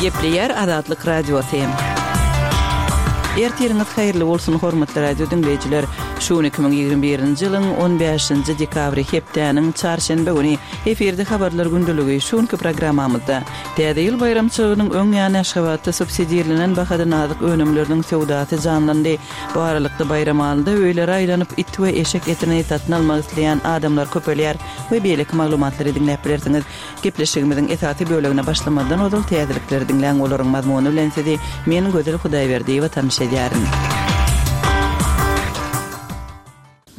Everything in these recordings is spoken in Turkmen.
Gepleýär Azatlyk Radiosy. Ertiriňiz haýyrly bolsun, hormatly radio diňleýjiler! Şu gün 2021-nji ýylyň 15-nji dekabry hepdäniň çarşenbe güni. Efirde habarlar gündeligi şu günki programmamyzda Täze ýyl baýramçylygynyň öň ýany Aşgabatda subsidirlenen bahadan azyk önümleriniň söwdasy janlandy. Bu aralykda Baýramalyda öýlere aýlanyp it we eşek etini satyn almak isleýän adamlar köpelýär we beýleki maglumatlary diňläp bilersiňiz. Gepleşigimiziň esasy bölegine başlamazdan ozal täzelikleri diňläň olaryň mazmuny bilen sizi men Gözel Hudaýberdiýewa tanyş edýärin.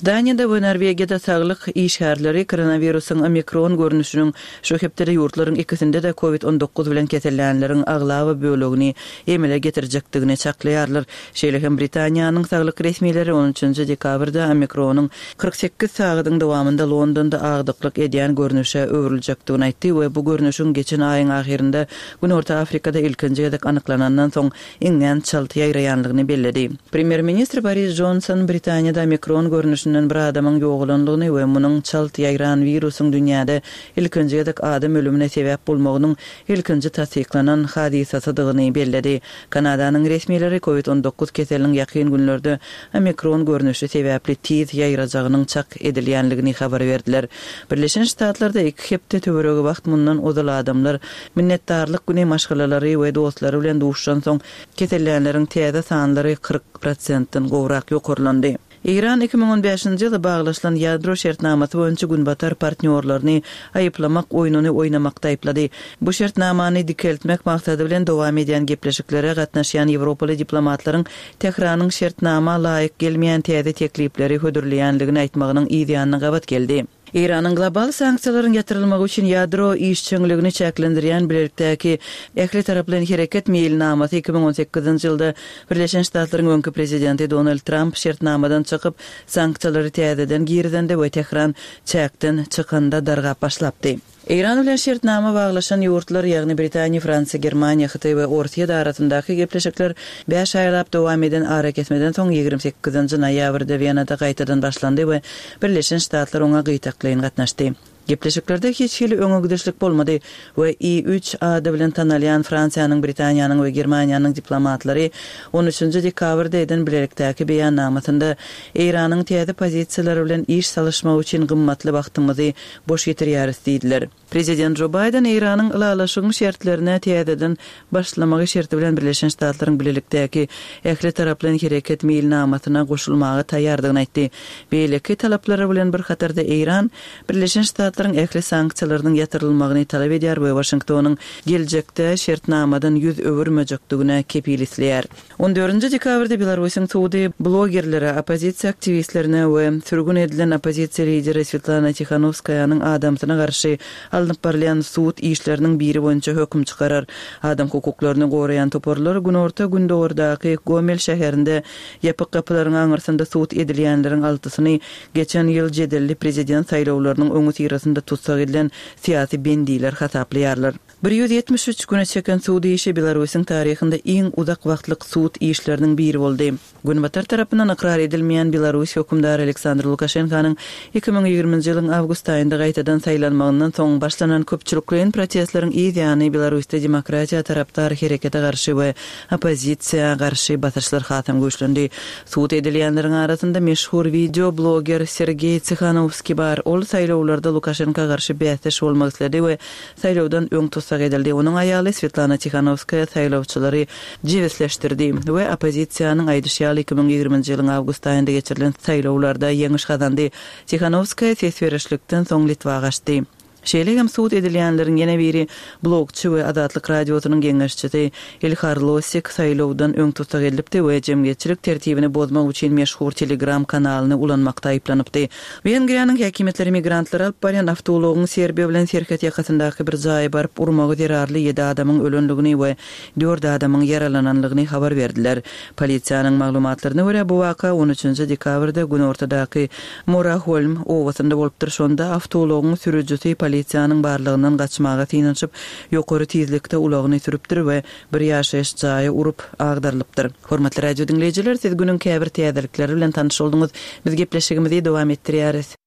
Daniýada we Norwegiýada saglyk işgärleri koronawirusyň omikron görnüşiniň şu hepdede ýurtlaryň ikisinde-de covid 19 bilen kesellänleriň aglaba bölegini emele getirjekdigini çaklaýarlar. Şeýle hem Britaniýanyň saglyk resmileri on üçünji dekabrda omikronyň 48 sagadyň dowamynda Londonda agdyklyk edýän görnüşe öwrüljekdigini aýtdy we bu görnüşiň geçen aýyň ahyrynda Günorta Afrikada ilkinji gezek anyklanandan soň iňňän çalt ýaýraýanlygyny belledi. Premýer-ministr Boris Jonson Britaniýada omikron görnüşinden bir adamyň ýogalandygyny we munuň çalt ýaýran wirusyň dünýäde ilkinji gezek adam ölümine sebäp bolmagynyň ilkinji tassyklanan hadysasydygyny belledi. Kanadanyň resmileri Covid 19 keseliniň ýakyn günlerde omikron görnüşi sebäpli tiz ýaýrajagynyň çak edilýänligini habar berdiler. Birleşen Ştatlarda iki hepde töweregi wagt mundan ozal adamlar Minnetdarlyk güni maşgalalary we dostlary bilen duşuşansoň, kesellänleriň täze sanlary 40 prosentden gowrak ýokarlandy. Eýran 2015-nji ýylda baglaşylan ýadro şertnamasy boýunça günbatar partnýorlaryny aýyplamak oýnuny oýnamakda aýyplady. Bu şertnamany dikeltmek maksady bilen dowam edýän gepleşiklere gatnaşýan ýewropaly diplomatlaryň Tähranyň şertnama laýyk gelmeýän täze teklipleri hödürleýänligini aýtmagynyň yzýanyna gabat geldi. Eýranyň global sanksiýalaryň ýatyrylmagy üçin ýadro işjeňligini çäklendirýän bilelikdäki ählitaraplaýyn hereket meýilnamasy 2018-nji ýylda Birleşen Ştatlaryň öňki prezidenti Donald Tramp şertnamadan çykyp, sanksiýalary täzeden girizende we Tähran çäkden çykanda dargap başlapdy. Eýran bilen şertnama baglaşan ýurtlar, ýagny Britaniýa, Fransiýa, Germaniýa, Hytaý we Orsýet arasyndaky gepleşikler bäş aýlap dowam eden arakesmeden soň 28-nji noýabrda Wenada gaýtadan başlandy we Birleşen Ştatlar oňa gytaklaýyn gatnaşdy. Gepleşiklerde hiç hili öňe gidişlik bolmady we I-üç ady bilen tanalýan Fransiýanyň, Britaniýanyň we Germaniýanyň diplomatlary on üçünji dekabrda eden bilelikdäki beýannamasynda Eýranyň täze pozisiýalary bilen iş salyşmak üçin gymmatly wagtymyzy boş ýitirýäris diýdiler. Prezident Jo Baýden Eýranyň ylalaşygyň şertlerine täzeden başlamagy şerti bilen Birleşen Ştatlaryň bilelikdäki ählitaraplaýyn hereket meýilnamasyna goşulmaga taýýardygyny aýtdy. Beýleki talaplary bilen bir hatarda Eýran Birleşen Ştatlaryň ähli sanksiýalarynyň ýatyrylmagyny talap edýär we Waşingtonyň geljekde şertnamadan ýüz öwürmejekdigine kepil isleýär. On dördünji dekabrda Belarusyň sudy blogerlere, oppozisiýa aktiwistlerine we sürgün edilen oppozisiýa lideri Swetlana Tihanowskaýanyň adamsyna garşy alnyp barylýan sud işleriniň biri boýunça höküm çykarar. Adam hukuklaryny goraýan toparlar günorta-gündogardaky Gomel şäherinde ýapyk gapylaryň aňyrsynda sud edilýänleriň altysyny geçen ýyl jedelli prezident saýlawlarynyň öňüsyrasynda tussag edilen syýasy bendiler hasaplaýarlar. 173 güne çeken sud işi Belarusyň taryhynda iň uzak wagtlyk sud işleriniň biri boldy. Günbatar tarapyndan ykrar edilmeýän Belarus hökümdary Aleksandr Lukaşenkanyň 2020-nji ýylyň awgust aýynda gaýtadan saýlanmagyndan soň başlanan köpçülikleýin protestleriň yz ýany Belarusda demokratiýa tarapdar herekete garşy we oppozisiýa garşy basyşlar hasam güýçlendi. Sud edilýänleriň arasynda meşhur wideo bloger Sergeý Tsihanowskiý bar. Ol saýlawlarda Lukaşenka garşy bäsdeş bolmak isledi we Saýlawdan öň tussag edildi. Onuň aýaly Swetlana Tihanowskaýa saýlawçylary jebisleşdirdi we oppozisiýanyň aýdyşy ýaly 2020-nji ýylyň awgust aýynda geçirilen saýlawlarda ýeňiş gazandy. Tihanowskaýa ses berişlikden soň Litwa gaçdy. Şeýle hem sud edilýänleriň ýene biri blogçy we Azatlyk Radiosynyň geňeşçisi Ilhar Losik saýlawdan öň tussag edilipdi we jemgyýetçilik tertibini bozmak üçin meşhur Telegram kanalyny ulanmakda aýyplanypdy. Wengriýanyň häkimiýetleri migrantlary alyp barýan awtoulagyň Serbiýa bilen serhet ýakasyndaky bir jaýa baryp urmagy zerarly ýedi adamyň ölendigini we dört adamyň ýaralananlygyny habar berdiler. Polisiýanyň maglumatlaryna görä, bu waka on üçünji dekabrda günortadaky Moraholm obasynda bolupdyr, şonda awtoulagyň sürüjisi polisiýanyň barlagyndan gaçmaga synanyşyp, ýokary tizlikde ulagyny sürüpdir we bir ýaşaýyş jaýa urup, agdarylypdyr. Hormatly radio diňleýjiler, siz günüň käbir täzelikleri bilen tanyş bolduňyz. Biz gepleşigimizi dowam etdirýäris.